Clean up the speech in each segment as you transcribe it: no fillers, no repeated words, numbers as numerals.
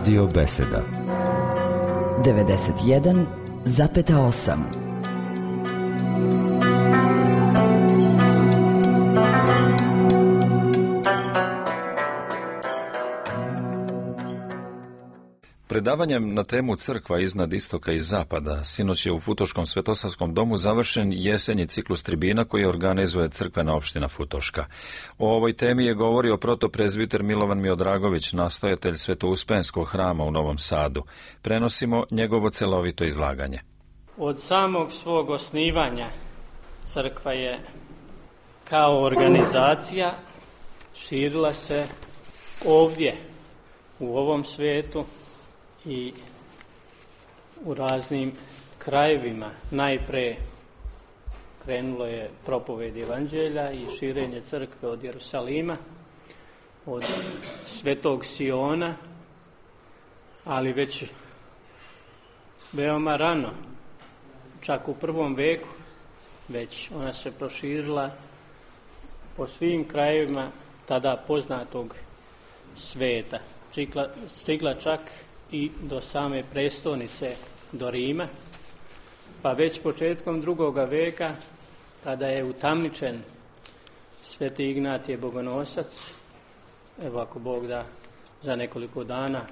Radio Beseda 91,8. Predavanjem na temu crkva iznad istoka i zapada, sinoć je u Futoškom Svetosavskom domu završen jesenji ciklus tribina koji organizuje crkvena opština Futoška. O ovoj temi je govorio protoprezbiter Milovan Miodragović, nastojatelj Svetouspenskog hrama u Novom Sadu. Prenosimo njegovo celovito izlaganje. Od samog svog osnivanja crkva je kao organizacija širila se ovdje, u ovom svijetu, i u raznim krajevima. Najpre krenulo je propoved evanđelja i širenje crkve od Jerusalima, od Svetog Siona, ali već veoma rano, čak u prvom veku, već ona se proširila po svim krajevima tada poznatog sveta. Stigla čak i do same prestolnice, do Rima, pa već početkom drugoga veka, kada je utamničen Sveti Ignatije Bogonosac, evo ako Bog da, za nekoliko dana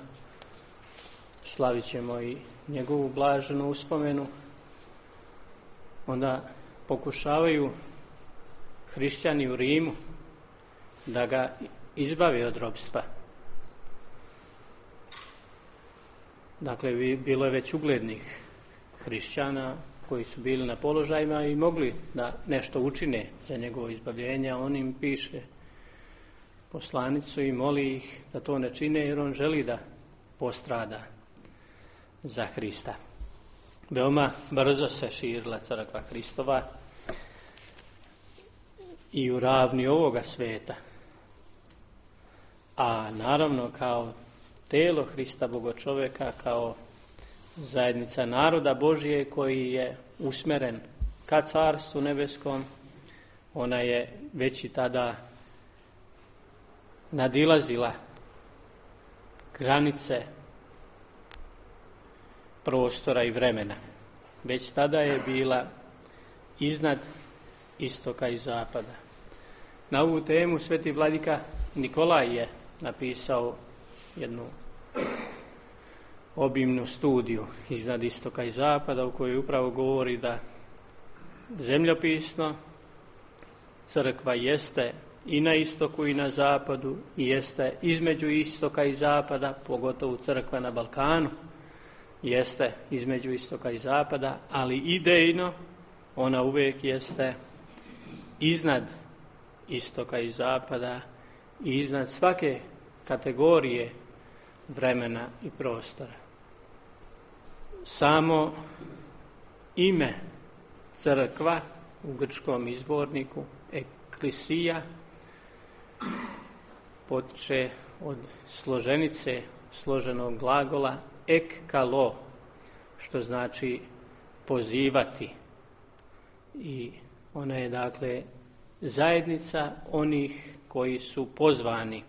slavit ćemo i njegovu blaženu uspomenu, onda pokušavaju hrišćani u Rimu da ga izbave od ropstva. Dakle, bilo je već uglednih hrišćana koji su bili na položajima i mogli da nešto učine za njegovo izbavljenje, a on im piše poslanicu i moli ih da to ne čine jer on želi da postrada za Hrista. Veoma brzo se širila crkva Hristova i u ravni ovoga sveta, a naravno kao telo Hrista Bogočoveka, kao zajednica naroda Božije koji je usmeren ka Carstvu nebeskom, ona je već i tada nadilazila granice prostora i vremena. Već tada je bila iznad istoka i zapada. Na ovu temu sveti vladika Nikolaj je napisao jednu obimnu studiju iznad istoka i zapada, u kojoj upravo govori da zemljopisno crkva jeste i na istoku i na zapadu i jeste između istoka i zapada, pogotovo crkva na Balkanu jeste između istoka i zapada, ali idejno ona uvijek jeste iznad istoka i zapada i iznad svake kategorije vremena i prostora. Samo ime crkva u grčkom izvorniku eklisija potiče od složenice složenog glagola ekkalo, što znači pozivati. I ona je dakle zajednica onih koji su pozvani